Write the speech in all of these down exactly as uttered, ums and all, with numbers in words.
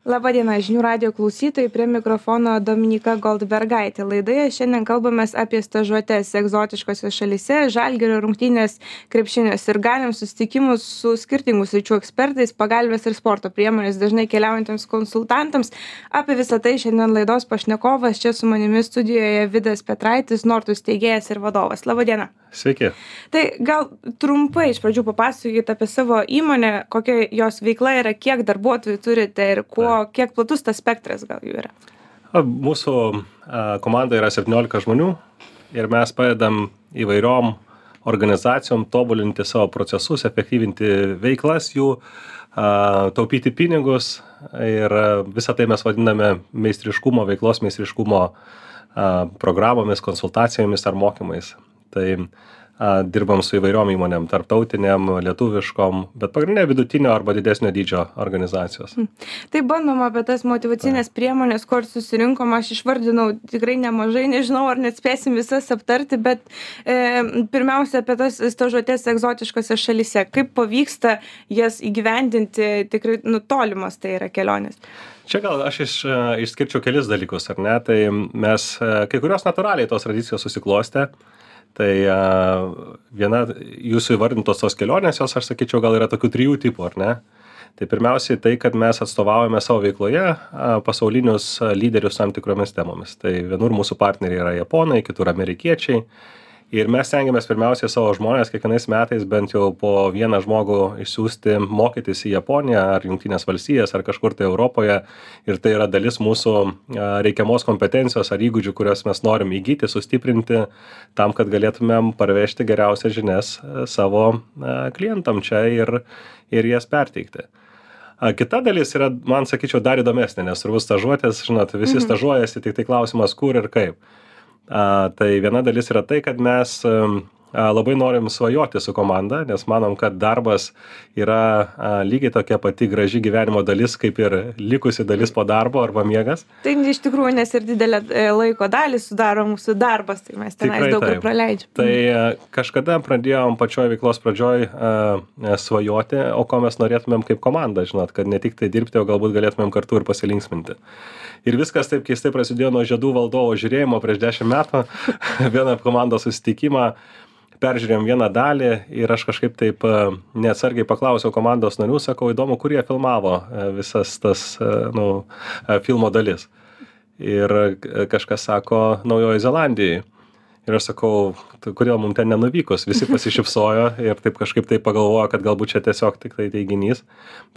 Labadiena, žinių radijo klausytojai, prie mikrofono Dominika Goldbergaitė. Laidoje šiandien kalbamės apie stažuotes egzotiškose šalyse, Žalgirio rungtynės krepšinės ir galim susitikimus su skirtingų sričių ekspertais, pagalbės ir sporto priemonės dažnai keliaujantiems konsultantams. Apie visą tai šiandien laidos pašnekovas, čia su manimi studijoje Vidas Petraitis, Nortus steigėjas ir vadovas. Labadiena. Sveiki. Tai gal trumpai iš pradžių papasakokite apie savo įmonę, kokia jos veikla yra, kiek darbuotojų turite ir kuo, kiek platus tas spektras gal jų yra. Mūsų komanda yra septyniolika žmonių ir mes padedam įvairiom organizacijom tobulinti savo procesus, efektyvinti veiklas jų, taupyti pinigus ir visą tai mes vadiname meistriškumo, veiklos meistriškumo programomis, konsultacijomis ar mokymais. Tai a, dirbam su įvairiom įmonėm, tarptautiniam, lietuviškom, bet pagrindinė vidutinio arba didesnio dydžio organizacijos. Tai bandom apie tas motyvacinės priemonės, kur susirinkom, aš išvardinau tikrai nemažai, nežinau, ar net spėsim visas aptarti, bet e, pirmiausia apie tas stažuotes egzotiškose šalyse. Kaip pavyksta jas įgyvendinti, tikrai nutolimas tai yra kelionės? Čia gal aš iš, išskirčiau kelis dalykus, ar ne? Tai mes, kai kurios natūraliai tos tradicijos susiklostė. Tai a, viena jūsų įvardintos tos kelionės, jos, aš sakyčiau, gal yra tokių trijų tipų, ar ne? Tai pirmiausiai tai, kad mes atstovaujame savo veikloje a, pasaulinius a, lyderius tam tikromis temomis. Tai vienur mūsų partneriai yra japonai, kitur amerikiečiai. Ir mes stengiamės pirmiausiai savo žmonės kiekvienais metais bent jau po vieną žmogų išsiųsti mokytis į Japoniją ar Jungtines valstijas ar kažkur tai Europoje. Ir tai yra dalis mūsų reikiamos kompetencijos ar įgūdžių, kurias mes norim įgyti, sustiprinti tam, kad galėtumėm parvežti geriausias žinias savo klientam čia ir, ir jas perteikti. Kita dalis yra, man sakyčiau, dar įdomesnė, nes turbūt stažuotės, žinot, visi mhm. stažuojasi, tik tai klausimas kur ir kaip. A, tai viena dalis yra tai, kad mes a, labai norim svajoti su komanda, nes manom, kad darbas yra a, lygiai tokia pati graži gyvenimo dalis, kaip ir likusi dalis po darbo arba miegas. Tai iš tikrųjų, nes ir didelę laiko dalį sudaro mūsų darbas, tai mes tenais daug ir praleidžiam. Tai a, kažkada pradėjom pačioj veiklos pradžioj a, a, svajoti, o ko mes norėtumėm kaip komanda, žinot, kad ne tik tai dirbti, o galbūt galėtumėm kartu ir pasilinksminti. Ir viskas taip keistai prasidėjo nuo žiedų valdovo žiūrėjimo prieš dešimt metų, vieną komandos susitikimą, peržiūrėjom vieną dalį ir aš kažkaip taip neatsargiai paklausiau komandos narių, sakau, įdomu, kur jie filmavo visas tas nu, filmo dalis. Ir kažkas sako, Naujoji Zelandijai. Ir aš sakau, kodėl mums ten nenuvykus, visi pasišypsojo ir taip kažkaip tai pagalvojo, kad galbūt čia tiesiog tik tai teiginys.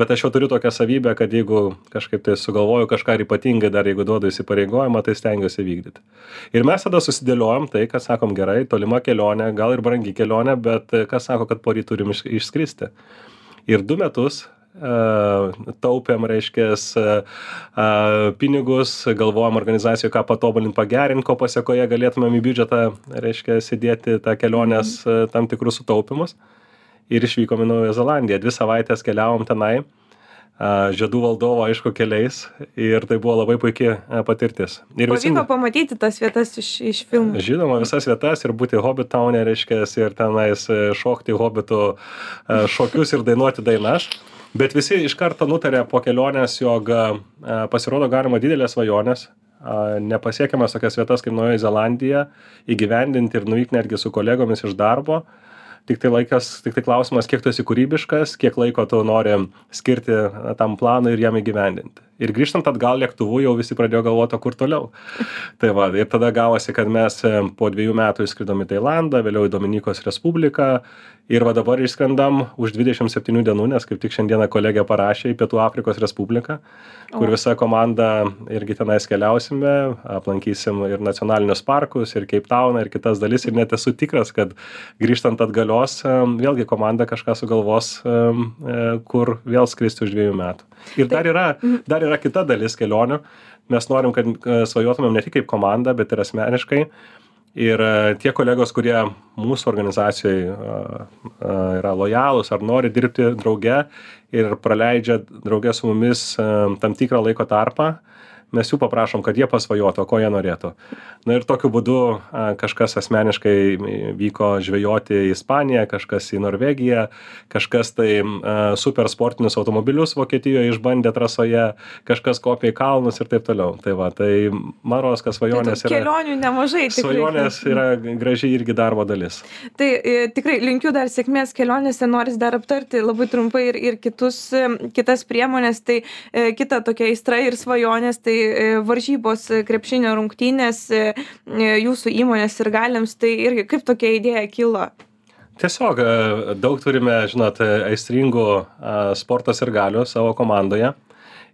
Bet aš jau turiu tokią savybę, kad jeigu kažkaip tai sugalvoju kažką ypatingai, dar jeigu duodu įsipareigojimą, tai stengiuosi vykdyti. Ir mes tada susidėliojom tai, kad sakom gerai, tolima kelionė, gal ir brangi kelionė, bet kas sako, kad poryt turim išskristi. Ir du metus taupėm, reiškės, pinigus, galvojom organizacijoje, ką patobulinti, pagerinti, ko pasiekoje galėtumėm į biudžetą, reiškės, įdėti tą kelionės tam tikrus sutaupimus. Ir išvykom į Naująją Zelandiją. Dvi savaitės keliavom tenai, žiedų valdovo, aišku, keliais. Ir tai buvo labai puikia patirtis. Ir visi... Pavyko pamatyti tas vietas iš, iš filmų. Žinoma, visas vietas ir būti Hobbit Town'e, reiškės, ir tenais šokti Hobbitų šokius ir dainuoti dainas. Bet visi iš karto nutarė po kelionės, jog pasirodo galima didelės svajonės, nepasiekiamas tokias vietas kaip Naujoji Zelandija, įgyvendinti ir nuvykti netgi su kolegomis iš darbo. Tik tai laikas, tik tai klausimas, kiek tu esi kūrybiškas, kiek laiko tu nori skirti tam planui ir jam įgyvendinti. Ir grįžtant atgal lėktuvu jau visi pradėjo galvoti, kur toliau. Tai va, ir tada gavosi, kad mes po dviejų metų išskridom į Tailandą, vėliau į Dominikos Respubliką. Ir va dabar išskrendam už dvidešimt septynių dienų, nes kaip tik šiandieną kolegė parašė į Pietų Afrikos Respubliką, kur visa komanda irgi tenais keliausime, aplankysim ir nacionalinius parkus, ir Cape Towną, ir kitas dalis. Ir net esu tikras, kad grįžtant atgalios, vėlgi komanda kažką sugalvos, kur vėl skristi už dviejų metų. Ir dar yra, dar yra kita dalis kelionių. Mes norim, kad svajotumėm ne tik kaip komanda, bet ir asmeniškai. Ir tie kolegos, kurie mūsų organizacijoje yra lojalūs ar nori dirbti drauge ir praleidžia drauge su mumis tam tikrą laiko tarpą, mes jų paprašom, kad jie pasvajotų, ko jie norėtų. Na ir tokiu būdu kažkas asmeniškai vyko žvejoti į Ispaniją, kažkas į Norvegiją, kažkas tai super sportinius automobilius Vokietijoje išbandė trasoje, kažkas kopė į kalnus ir taip toliau. Tai va, tai man rodos, kad svajonės tai yra... Kelionių nemažai. Tikrai. Svajonės yra gražiai irgi darbo dalis. Tai e, tikrai linkiu dar sėkmės kelionėse, noris dar aptarti labai trumpai ir, ir kitus, kitas priemonės. Tai e, kita tokia aistra ir svajonės, tai varžybos krepšinio rungtynės jūsų įmonės sirgaliams, tai irgi kaip tokia idėja kilo? Tiesiog daug turime, žinot, aistringų sporto sirgalių savo komandoje.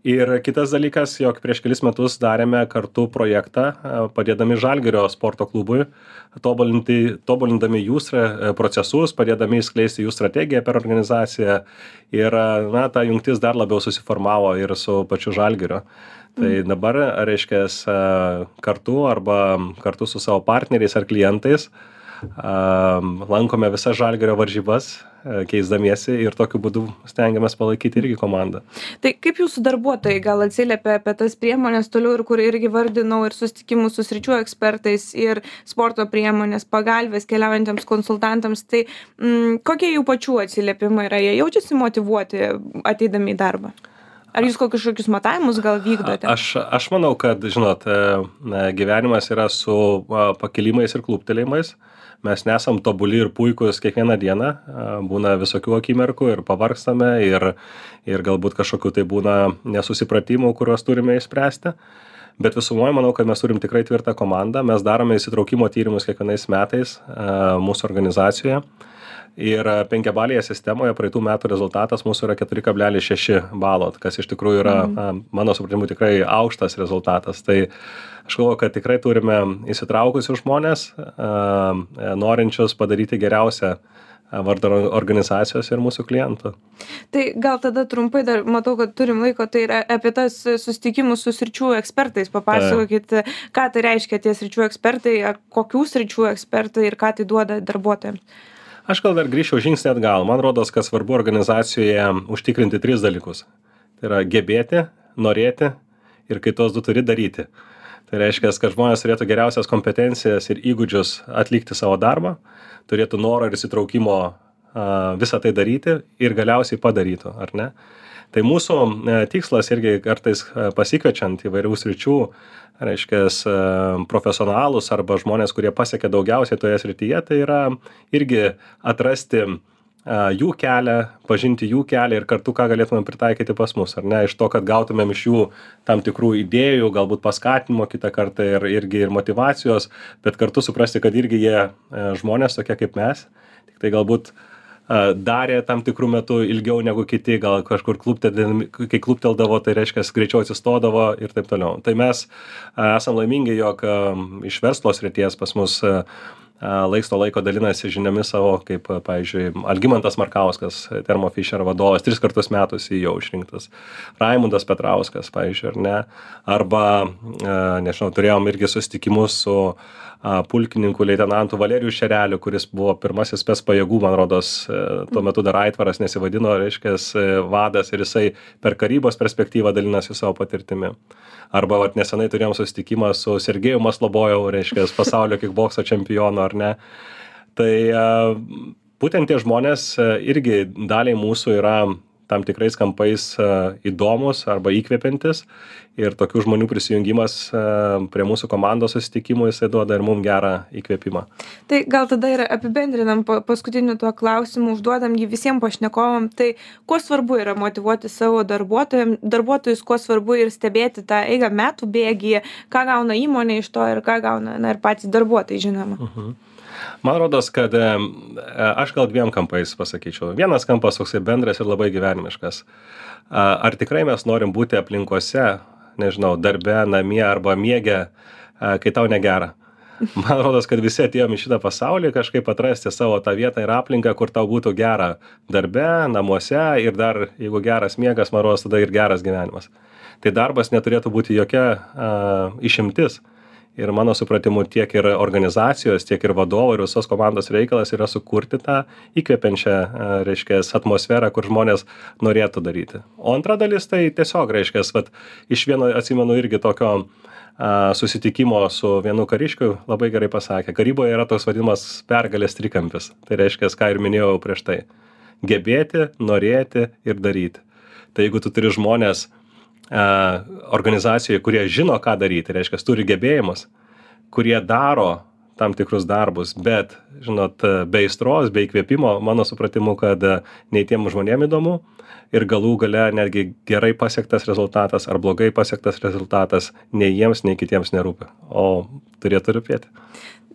Ir kitas dalykas, jog prieš kelis metus darėme kartu projektą, padėdami Žalgirio sporto klubui, tobulindami jų procesus, padėdami įskleisti jų strategiją per organizaciją. Ir na, ta jungtis dar labiau susiformavo ir su pačiu Žalgiriu. Tai dabar, reiškia, kartu arba kartu su savo partneriais ar klientais lankome visas Žalgirio varžybas, keisdamiesi ir tokiu būdu stengiamės palaikyti irgi komandą. Tai kaip jūsų darbuotojai gal atsiliepia apie tas priemonės toliau ir kur irgi vardinau ir susitikimus su sričių ekspertais ir sporto priemonės, pagalbės keliaujantiems konsultantams, tai mm, kokie jų pačių atsiliepimai yra, jie jaučiasi motyvuoti ateidami į darbą? Ar jūs kokius matavimus gal vykdote? Aš, aš manau, kad, žinot, gyvenimas yra su pakilimais ir kluptelėjimais. Mes nesam tobuli ir puikus kiekvieną dieną. Būna visokių akimirkų ir pavargstame ir, ir galbūt kažkokių tai būna nesusipratimų, kuriuos turime išspręsti. Bet visumoje manau, kad mes turim tikrai tvirtą komandą. Mes darome įsitraukimo tyrimus kiekvienais metais mūsų organizacijoje. Ir penkiabalėje sistemoje praeitų metų rezultatas mūsų yra keturi kablelis šeši balo, kas iš tikrųjų yra, mm. mano supratimu, tikrai aukštas rezultatas. Tai aš galvoju, kad tikrai turime įsitraukusius žmonės, norinčius padaryti geriausią vardą organizacijos ir mūsų klientų. Tai gal tada trumpai dar, matau, kad turim laiko, tai yra apie tas susitikimus su sričių ekspertais. Papasakokit, ką tai reiškia tie sričių ekspertai, kokių sričių ekspertai ir ką tai duoda darbuotojams. Aš gal dar grįžčiau žingsnį atgal. Man rodos, kad svarbu organizacijoje užtikrinti tris dalykus. Tai yra gebėti, norėti ir kai tos du turi daryti. Tai reiškia, kad žmonės turėtų geriausias kompetencijas ir įgūdžius atlikti savo darbą, turėtų norą ir įsitraukimo visą tai daryti ir galiausiai padarytų, ar ne? Tai mūsų tikslas irgi kartais pasikviečiant įvairių sričių, reiškia, profesionalus arba žmonės, kurie pasiekia daugiausiai toje srityje, tai yra irgi atrasti jų kelią, pažinti jų kelią ir kartu ką galėtume pritaikyti pas mus, ar ne, iš to, kad gautumėm iš jų tam tikrų idėjų, galbūt paskatinimo kitą kartą ir, irgi ir motyvacijos, bet kartu suprasti, kad irgi jie žmonės tokie kaip mes, tik tai galbūt darė tam tikrų metų ilgiau negu kiti, gal kažkur klupteldami, kai klupteldavo, tai reiškia, greičiau atsistodavo ir taip toliau. Tai mes esam laimingi, jog iš verslo srities pas mus laiks to laiko dalinasi žiniomis savo, kaip, pavyzdžiui, Algimantas Markauskas, Thermo Fisher vadovas, tris kartus metus į jau išrinktas. Raimundas Petrauskas, pavyzdžiui, ar ne? Arba, nežinau, turėjom irgi susitikimus su pulkininku leitenantu Valerijų Šereliu, kuris buvo pirmasis spec pajėgų, man rodos, tuo metu dar Aitvaras nesivadino, reiškia, vadas ir jisai per karybos perspektyvą dalinasi savo patirtimi. Arba vat, nesenai turėjom susitikimą su Sergejum Maslobojau, reiškia, pasaulio kickbokso čempionu, ar ne. Tai būtent tie žmonės irgi daliai mūsų yra tam tikrais kampais įdomus arba įkvepiantis ir tokių žmonių prisijungimas prie mūsų komandos susitikimų, jisai duoda ir mums gerą įkvėpimą. Tai gal tada ir apibendrinam paskutiniu tuo klausimu, užduodam jį visiems pašnekovam, tai kuo svarbu yra motyvuoti savo darbuotojus, kuo svarbu ir stebėti tą eigą metų bėgyje, ką gauna įmonė iš to ir ką gauna na, ir patys darbuotojai, žinoma. Uh-huh. Man rodos, kad aš gal dviem kampais pasakyčiau. Vienas kampas toksai bendras ir labai gyvenimiškas. Ar tikrai mes norim būti aplinkose, nežinau, darbe, namie arba miege, kai tau negera? Man rodos, kad visi atėjom į šitą pasaulį kažkaip atrasti savo tą vietą ir aplinką, kur tau būtų gera darbe, namuose ir dar, jeigu geras miegas, man rodos, tada ir geras gyvenimas. Tai darbas neturėtų būti jokia uh, išimtis. Ir mano supratimu tiek ir organizacijos, tiek ir vadovo ir visos komandos reikalas yra sukurti tą įkvepiančią, reiškia, atmosferą, kur žmonės norėtų daryti. O antra dalis tai tiesiog, reiškia, vat, iš vieno atsimenu irgi tokio a, susitikimo su vienu kariškiu labai gerai pasakė. Karyboje yra toks vadinamas pergalės trikampis. Tai reiškia, ką ir minėjau prieš tai. Gebėti, norėti ir daryti. Tai jeigu tu turi žmonės a, organizacijoje, kurie žino, ką daryti, reiškia, turi gebėjimus, kurie daro tam tikrus darbus, bet, žinot, be aistros, be įkvėpimo, mano supratimu, kad nei tiem žmonėm įdomu ir galų gale netgi gerai pasiektas rezultatas ar blogai pasiektas rezultatas nei jiems, nei kitiems nerūpi, o turėtų rūpėti.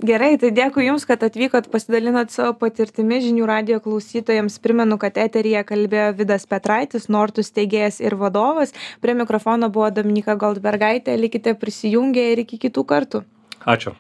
Gerai, tai dėkui Jums, kad atvykot, pasidalinot savo patirtimi žinių radijo klausytojams. Primenu, kad eteryje kalbėjo Vidas Petraitis, Nortus steigėjas ir vadovas. Prie mikrofono buvo Dominyka Goldbergaitė. Likite prisijungę ir iki kitų kartų. Ačiū.